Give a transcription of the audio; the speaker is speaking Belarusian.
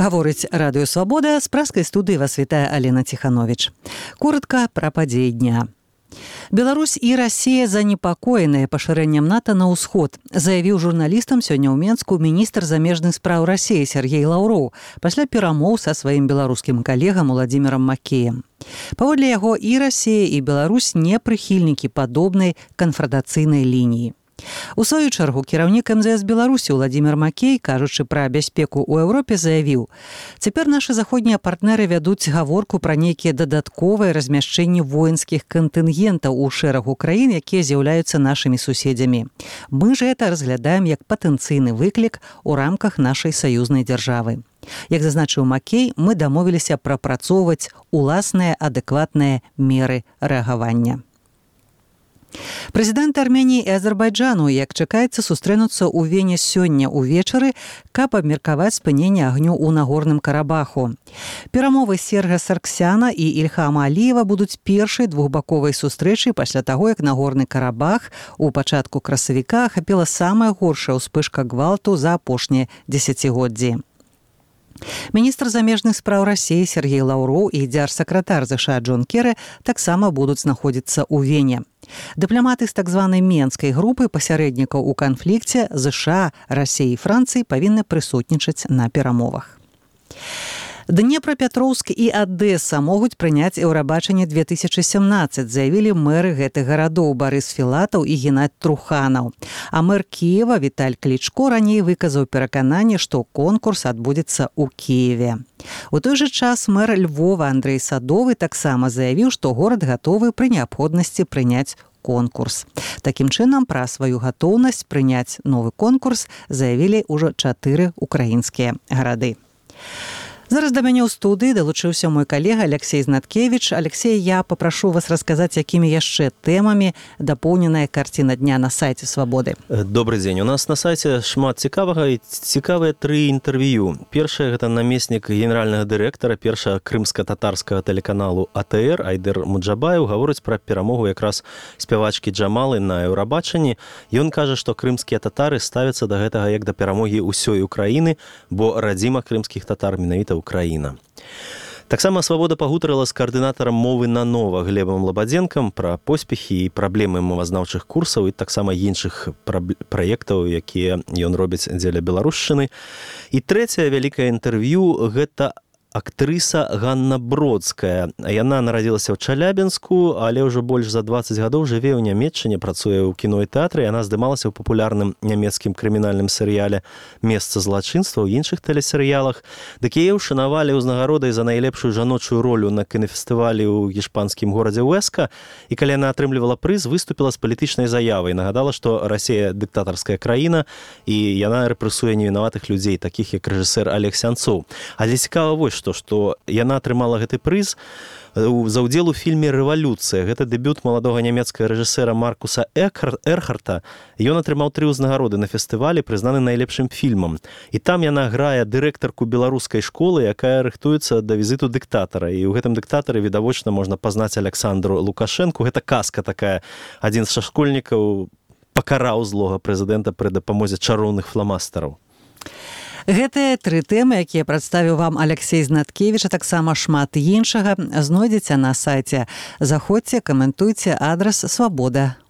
Гаворыць Радыё Свабода, з праскай студыі вас вітае Алена Ціхановіч. Коротка пра падзеі дня. Беларусь і Расія занепакоеныя пашырэннем НАТО на ўсход, заявіў журналістам сёння ў Менску міністр замежных спраў Расіі Сергей Лаўроў пасля перамоў са сваім беларускім калегам Уладзімірам Макеем. Паводле яго, і Расія, і Беларусь не прыхільнікі падобнай канфрадацыйнай лініі. У сваю чаргу кіраўнік МЗС Беларусі Уладзімір Макей, кажучы пра бяспеку ў Еўропе, заявіў: «Цяпер нашы заходнія партнеры вядуць гаворку пра нейкія дадатковыя размяшчэнні воінскіх кантынгентаў у шэрагу краін, якія з'яўляюцца нашымі суседзямі. Мы ж гэта разглядаем як патэнцыйны выклік у рамках нашай саюзнай дзяржавы». Як зазначыў Макей, мы дамовіліся прапрацоўваць уласныя адэкватныя меры рэагавання. Прэзідэнты Арменіі і Азербайджану, як чакаецца, сустрэнуцца ў Вене сёння ўвечары, каб абмеркаваць спыненне агню ў Нагорным Карабаху. Перамовы Серга Сарксяна і Ільхама Аліева будуць першай двухбаковай сустрэчай пасля таго, як Нагорны Карабах у пачатку красавіка ахапіла самая горшая ўспышка гвалту за апошнія дзесяцігоддзі. Міністр замежных спраў Расіі Сергей Лаўроў і дзяржсакратар ЗША Джон Керы таксама будуць знаходзіцца ў Вене. Дыпламаты з так званай менскай групы пасярэднікаў у канфлікце ЗША, Расіі і Францыі павінны прысутнічаць на перамовах. Днепрапетроўск і Адэса могуць прыняць Еўрабачанне 2017, заявілі мэры гэтых гарадоў Барыс Філатаў і Геннадзь Труханаў. А мэр Кіева Віталь Клічко раней выказаў перакананне, што конкурс адбудзецца ў Кіеве. У той жа час мэр Львова Андрэй Садовы таксама заявіў, што горад гатовы пры неабходнасці прыняць конкурс. Такім чынам, пра сваю гатоўнасць прыняць новы конкурс заявілі ўжо 4 украінскія гарады. Зараз да мяне ў студыі далучыўся мой калега Алексей Знаткевич. Алексей, я папрашу вас расказаць, якімі яшчэ тэмамі дапоўненая карціна дня на сайце Свабоды. Добрый дзень. У нас на сайце шмат цікавага і цікавыя 3 інтэрв'ю. Першае — гэта намеснік генеральнага дырэктара першага крымска-татарскага тэлеканалу АТР Айдэр Муджабаев гаворыць пра перамогу якраз спявачкі Джамалы на Еўрабачанні. Ён кажа, што крымскія татары ставяцца да гэтага як да перамогі ўсёй Украіны, бо радзіма крымскіх татар менавіта Украіна. Таксама Свабода пагутарыла з каардынатарам мовы нанова Глебам Лабадзенкам пра поспехі і праблемы мовазнаўчых курсаў і таксама іншых праектаў, якія ён робіць дзеля беларушчыны. І трэцяе вялікае інтэрв'ю — гэта актрыса Ганна Бродская. Яна нарадзілася ў Чалябінску, але ўжо больш за 20 гадоў жыве ў Нямецчыне, працуе ў кіно і тэатры. Яна здымалася ў папулярным нямецкім крымінальным серыяле «Месца злачынства», ў іншых тэлесерыялах. Дык яе ўшанавалі ўзнагародай за найлепшую жаночую ролю на кінафестывалі ў гішпанскім горадзе Уэска. І калі яна атрымлівала прыз, выступіла з палітычнай заявай. Нагадала, што Расія дыктатарская краіна, і яна рэпрэсуе невінаватых людзей, такіх як рэжысэр Алег Сянцоў. Але цікава вось што яна атрымала гэты прыз за ўдзел у фільме «Рэвалюцыя». Гэта дэбют маладога нямецкага рэжысэра Маркуса Эрхарта. Ён атрымаў 3 ўзнагароды на фестывалі, прызнаны найлепшым фільмам. І там яна грае дырэктарку беларускай школы, якая рыхтуецца да візіту дыктатара. І ў гэтым дыктатары відавочна можна пазнаць Александру Лукашэнку. Гэта казка такая. Адзін з школьнікаў пакараў злога прэзідэнта пры дапамозе чароўных фламастараў. Гэтыя 3 тэмы, якія прадставіў вам Алексей Знаткевич, а таксама шмат іншага, знойдзеце на сайце. Заходзьце, каментуйце, адрас Свабода.